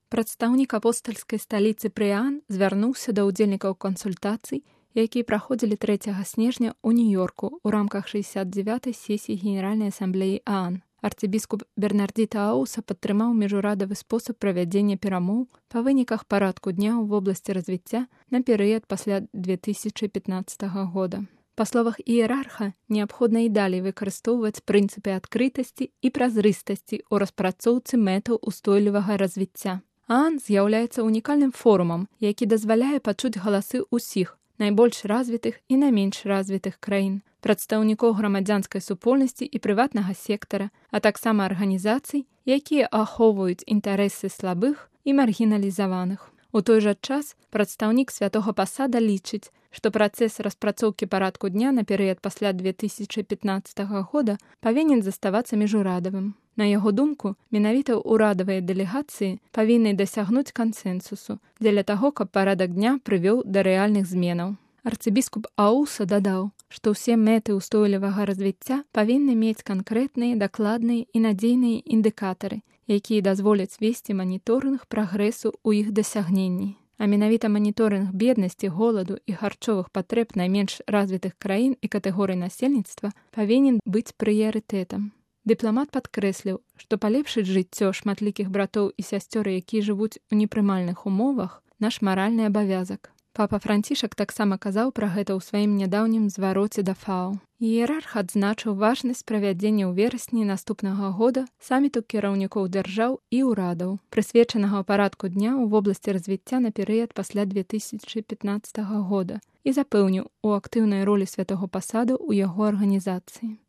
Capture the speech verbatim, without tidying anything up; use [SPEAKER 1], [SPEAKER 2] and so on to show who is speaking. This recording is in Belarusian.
[SPEAKER 1] Прадстаўнік апостальскай сталіцы Прыан звярнуўся да ўдзельнікаў кансультацый, якія праходзілі трэцяга снежня ў Нью-Йорку ў рамках шэсцьдзесят дзевятай сесіі Генеральнай асамблеі ААН. Арцыбіскуп Бернардзіта Ауса падтрымаў міжурадавы спосаб правядзення перамоў па выніках парадку дня ў вобласці развіцця на перыяд пасля две тысячы пятнаццатага года. Па словах іерарха, неабходна і далей выкарыстоўваць прынцыпы адкрытасці і празрыстасці ў распрацоўцы мэтаў устойлівага развіцця. ААН з'яўляецца унікальным форумам, які дазваляе пачуць галасы ўсіх найбольш развітых і найменш развітых краін, прадстаўнікоў грамадзянскай супольнасці і прыватнага сектара, а таксама арганізацый, якія ахоўваюць інтарэсы слабых і маргіналізаваных. У той жа час прадстаўнік святога пасада лічыць, што працэс распрацоўкі парадку дня на перыяд пасля две тысячы пятнаццатага года павінен заставацца міжурадавым. На яго думку, менавіта ўрадавыя дэлегацыі павінны дасягнуць кансэнсусу дзеля таго, каб парадак дня прывёў да рэальных зменаў. Арцыбіскуп Ауса дадаў, што ўсе мэты ўстойлівага развіцця павінны мець канкрэтныя, дакладныя і надзейныя індыкатары, якія дазволяць весці маніторынг прагрэсу ў іх дасягненні. А менавіта маніторынг беднасці, голаду і харчовых патрэб найменш развітых краін і катэгорый насельніцтва павінен быць прыярытэтам. Дыпламат падкрэсліў, што палепшыць жыццё шматлікіх братоў і сясцёр, якія жывуць у непрымальных умовах, наш маральны абавязак. Папа Францішак таксама казаў пра гэта ў сваім нядаўнім звароце да ФАО. Іерарх адзначыў важнасць правядзення ў верасні наступнага года саміту кіраўнікоў дзяржаў і ўрадаў, прысвечанага парадку дня ў вобласці развіцця на перыяд пасля две тысячы пятнаццатага года, і запэўніў у актыўнай ролі святога пасаду ў яго арганізацыі.